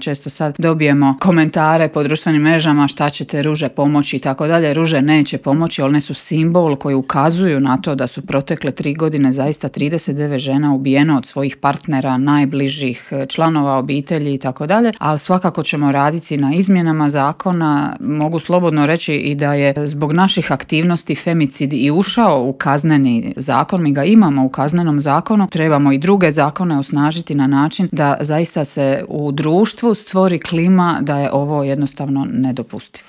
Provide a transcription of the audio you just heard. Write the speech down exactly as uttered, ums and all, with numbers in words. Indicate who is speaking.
Speaker 1: Često sad dobijemo komentare po društvenim mrežama šta će te ruže pomoći i tako dalje. Ruže neće pomoći, one su simbol koji ukazuju na to da su protekle tri godine zaista trideset devet žena ubijeno od svojih partnera, najbližih članova obitelji i tako dalje, ali svakako ćemo raditi na izmjenama zakona. Mogu slobodno reći i da je zbog naših aktivnosti femicid i ušao u kazneni zakon, mi ga imamo u kaznenom zakonu, trebamo i druge zakone osnažiti na način da zaista se u društvu stvori klima da je ovo jednostavno nedopustivo.